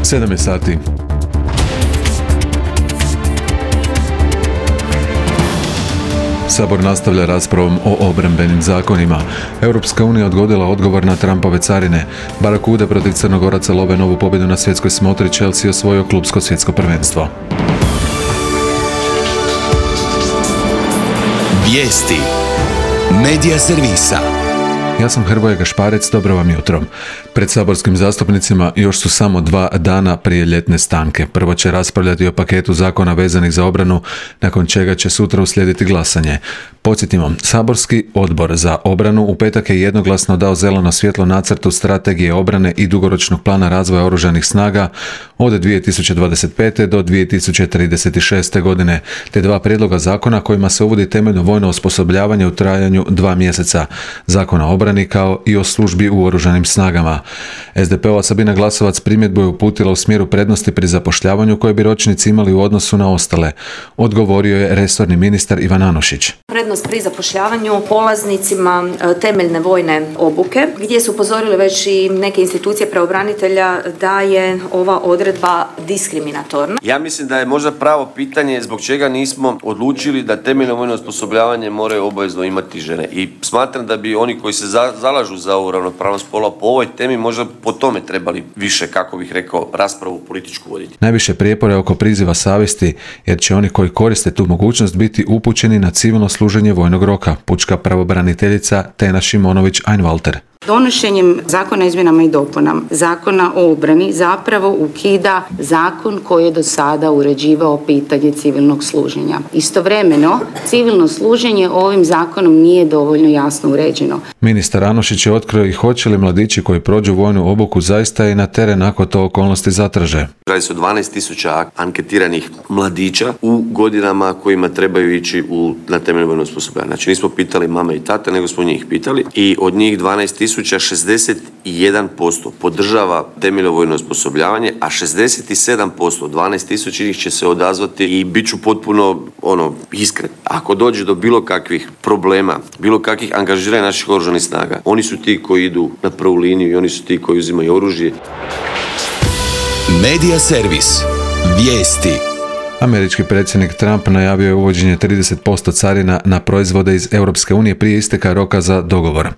7 je sati. Sabor nastavlja raspravom o obrambenim zakonima. Europska unija odgodila odgovor na Trumpove carine. Barakude protiv Crnogoraca love novu pobjedu na svjetskoj smotri. Chelsea osvojio klupsko svjetsko prvenstvo. Vijesti Medija servisa. Ja sam Hrvoje Gašparec, dobro vam jutro. Pred saborskim zastupnicima još su samo 2 dana prije ljetne stanke. Prvo će raspravljati o paketu zakona vezanih za obranu, nakon čega će sutra uslijediti glasanje. Podsjetimo, saborski odbor za obranu u petak je jednoglasno dao zeleno svjetlo nacrtu strategije obrane i dugoročnog plana razvoja oružanih snaga od 2025. do 2036. godine, te 2 prijedloga zakona kojima se uvodi temeljno vojno osposobljavanje u trajanju 2 mjeseca, zakona o obrani kao i o službi u oružanim snagama. SDP-ova Sabina Glasovac primjedbu je uputila u smjeru prednosti pri zapošljavanju koje bi ročnici imali u odnosu na ostale. Odgovorio je resorni ministar Ivan Anušić. Prednost pri zapošljavanju polaznicima temeljne vojne obuke, gdje su upozorili već i neke institucije pravobranitelja da je ova odredba diskriminatorna. Ja mislim da je možda pravo pitanje zbog čega nismo odlučili da temeljno vojno osposobljavanje moraju obavezno imati žene. I smatram da bi oni koji se zalažu za ovu ravnopravnost spolova po ovoj temi možda po tome trebali više, kako bih rekao, raspravu političku voditi. Najviše prijepora je oko priziva savjesti, jer će oni koji koriste tu mogućnost biti upućeni na civilno služenje vojnog roka, pučka pravobraniteljica Tena Šimonović-Einwalter. Donošenjem zakona o izmjenama i dopunama zakona o obrani zapravo ukida zakon koji je do sada uređivao pitanje civilnog služenja. Istovremeno, civilno služenje ovim zakonom nije dovoljno jasno uređeno. Ministar Anušić je otkrio i hoće li mladići koji prođu vojnu obuku zaista i na teren ako to okolnosti zatraže. Radi se o 12.000 anketiranih mladića u godinama kojima trebaju ići na temeljno vojno osposobljavanje. Znači nismo pitali mame i tate, nego smo njih pitali i od njih 12.000 61% podržava temeljno vojno osposobljavanje, a 67%, 12.000 njih će se odazvati i bit ću potpuno iskren. Ako dođe do bilo kakvih problema, bilo kakvih angažiranja naših oružanih snaga, oni su ti koji idu na prvu liniju i oni su ti koji uzimaju oružje. Medija servis. Vijesti. Američki predsjednik Trump najavio je uvođenje 30% carina na proizvode iz Europske unije prije isteka roka za dogovor.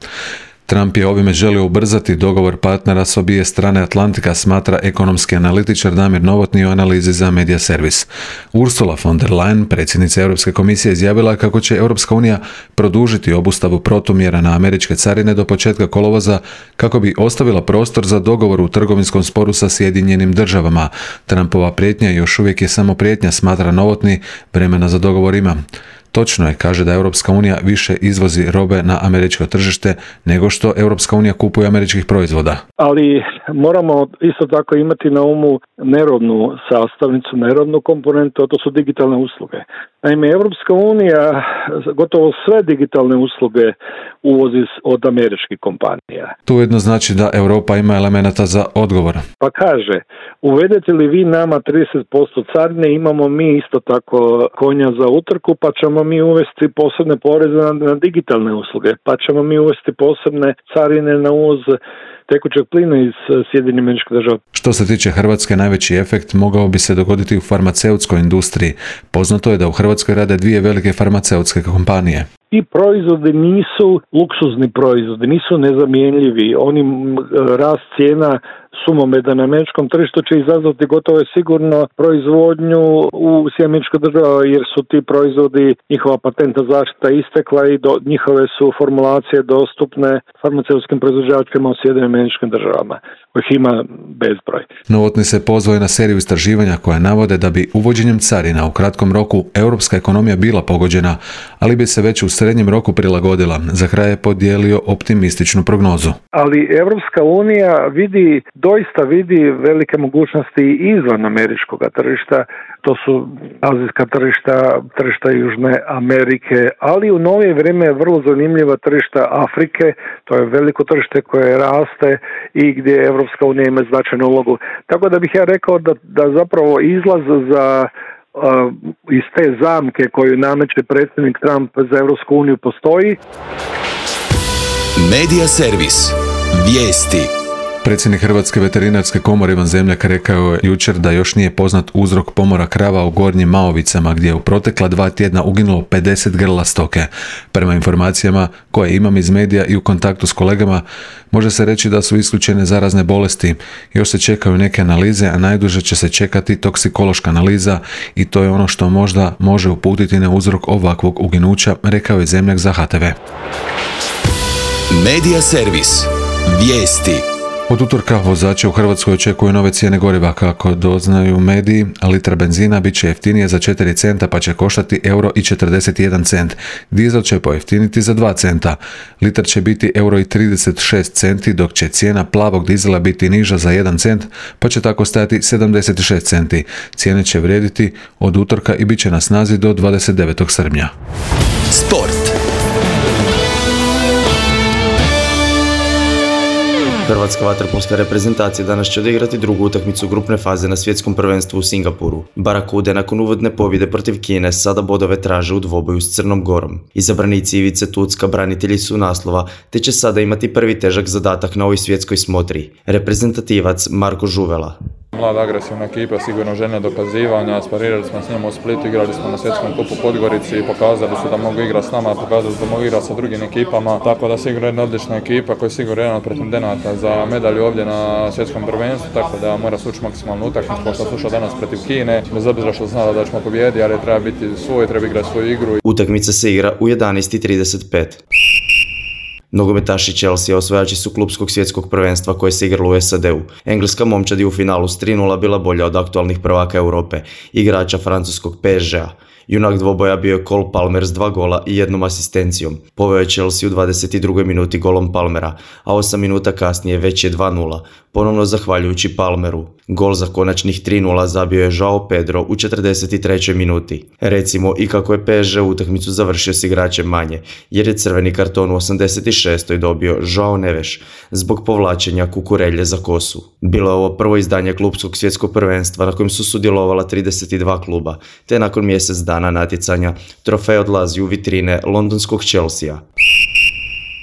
Trump je ovime želio ubrzati dogovor partnera s obje strane Atlantika, smatra ekonomski analitičar Damir Novotny u analizi za Medija servis. Ursula von der Leyen, predsjednica Europske komisije, izjavila kako će Europska unija produžiti obustavu protumjera na američke carine do početka kolovoza kako bi ostavila prostor za dogovor u trgovinskom sporu sa Sjedinjenim državama. Trumpova prijetnja još uvijek je samo prijetnja, smatra Novotny, vremena za dogovor ima. Točno je, kaže, da Europska unija više izvozi robe na američko tržište nego što Europska unija kupuje američkih proizvoda. Ali moramo isto tako imati na umu nerodnu sastavnicu, nerodnu komponentu, a to su digitalne usluge. Naime, Europska unija gotovo sve digitalne usluge uvozi od američkih kompanija. To ujedno znači da Europa ima elemenata za odgovor. Pa kaže, uvedete li vi nama 30% carine, imamo mi isto tako konja za utrku, pa ćemo mi uvesti posebne poreze na digitalne usluge, pa ćemo mi uvesti posebne carine na uvoz tekućeg plina iz Sjedinjenih Američkih Država. Što se tiče Hrvatske, najveći efekt mogao bi se dogoditi u farmaceutskoj industriji. Poznato je da u Hrvatskoj rade 2 velike farmaceutske kompanije. I proizvodi nisu luksuzni proizvodi, nisu nezamjenljivi. Oni rast cijena sumomeda na američkom tržištu će izazvati gotovo sigurno proizvodnju u Sjedinjenih Država, jer su ti proizvodi, njihova patentna zaštita istekla i njihove su formulacije dostupne farmaceutskim proizvođačima u Sjedinjenim Državama, kojih ima bezbroj. Novotny se pozvao na seriju istraživanja koja navode da bi uvođenjem carina u kratkom roku europska ekonomija bila pogođena, ali bi se već u srednjem roku prilagodila. Za kraj je podijelio optimističnu prognozu. Ali Europska unija doista vidi velike mogućnosti izvan američkog tržišta. To su azijska tržišta Južne Amerike, ali u novije vrijeme je vrlo zanimljiva tržišta Afrike. To je veliko tržište koje raste i gdje Europska unija ima značajnu ulogu. Tako da bih ja rekao da zapravo izlaz iz te zamke koju nameće predsjednik Trump za Europsku uniju postoji. Medija servis. Vijesti. Predsjednik Hrvatske veterinarske komore Ivan Zemljak rekao je jučer da još nije poznat uzrok pomora krava u Gornjim Maovicama, gdje je u protekla 2 tjedna uginulo 50 grla stoke. Prema informacijama koje imam iz medija i u kontaktu s kolegama, može se reći da su isključene zarazne bolesti. Još se čekaju neke analize, a najduže će se čekati toksikološka analiza i to je ono što možda može uputiti na uzrok ovakvog uginuća, rekao je Zemljak za HTV. Medija servis. Vijesti. Od utorka vozače u Hrvatskoj očekuju nove cijene goriva. Kako doznaju mediji, litra benzina bit će jeftinije za 4 centa pa će koštati €1,41. Dizel će pojeftiniti za 2 centa. Litar će biti €1,36, dok će cijena plavog dizela biti niža za 1 cent pa će tako stajati 76 centi. Cijene će vrijediti od utorka i bit će na snazi do 29. srpnja. Sport. Hrvatska vaterpolska reprezentacija danas će odigrati drugu utakmicu grupne faze na svjetskom prvenstvu u Singapuru. Barakude nakon uvodne pobjede protiv Kine sada bodove traže u dvoboju s Crnom Gorom. Izabranici Ivice Tucka branitelji su naslova, te će sada imati prvi težak zadatak na ovoj svjetskoj smotri. Reprezentativac Marko Žuvela. Mlada agresivna ekipa, sigurno željna dokazivanja, sparirali smo s njima u Splitu, igrali smo na svjetskom kupu Podgorici, pokazali su da mogu igrati s nama, pokazali su da mogu igrati sa drugim ekipama, tako da sigurno jedna odlična ekipa koja je sigurno jedan od pretendenata za medalju ovdje na svjetskom prvenstvu, tako da mora sući maksimalnu utakmicu, kao što sluša danas protiv Kine, bez obzira što znala da ćemo pobijediti, ali treba biti svoj, treba igrati svoju igru. Utakmica se igra u 11:35. Nogometaši Chelsea osvajači su klupskog svjetskog prvenstva koje se igralo u SAD-u. Engleska momčad je u finalu s 3:0 bila bolja od aktualnih prvaka Europe, igrača francuskog PSG-a. Junak dvoboja bio je Cole Palmer s 2 gola i 1 asistencijom. Poveo je Chelsea u 22. minuti golom Palmera, a 8 minuta kasnije već je 2:0, ponovno zahvaljujući Palmeru. Gol za konačnih 3:0 zabio je Joao Pedro u 43. minuti. Recimo i kako je PSG utakmicu završio s igračem manje, jer je crveni karton u 86. dobio Joao Neves zbog povlačenja kukurelje za kosu. Bilo je ovo prvo izdanje klupskog svjetskog prvenstva na kojem su sudjelovala 32 kluba, te nakon mjesec dana natjecanja trofej odlazi u vitrine londonskog Chelsea.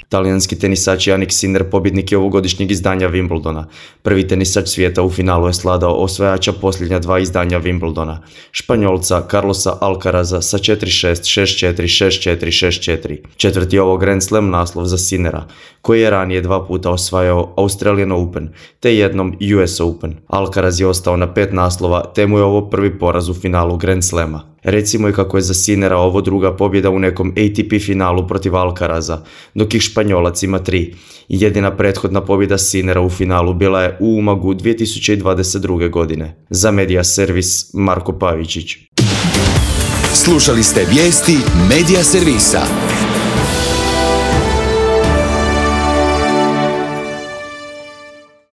Talijanski tenisač Jannik Sinner pobjednik je ovogodišnjeg izdanja Wimbledona. Prvi tenisač svijeta u finalu je svladao osvajača posljednja 2 izdanja Wimbledona, Španjolca Carlosa Alcaraza sa 4-6, 6-4, 6-4, 6-4. Četvrti je ovo Grand Slam naslov za Sinnera, koji je ranije 2 puta osvajao Australian Open, te jednom US Open. Alcaraz je ostao na 5 naslova, te mu je ovo prvi poraz u finalu Grand Slama. Recimo i kako je za Sinnera ovo druga pobjeda u nekom ATP finalu protiv Alcaraza, dok ih Španjolac ima 3. Jedina prethodna pobjeda Sinnera u finalu bila je u Umagu 2022. godine. Za Medija servis Marko Pavičić. Slušali ste vijesti Medija servisa.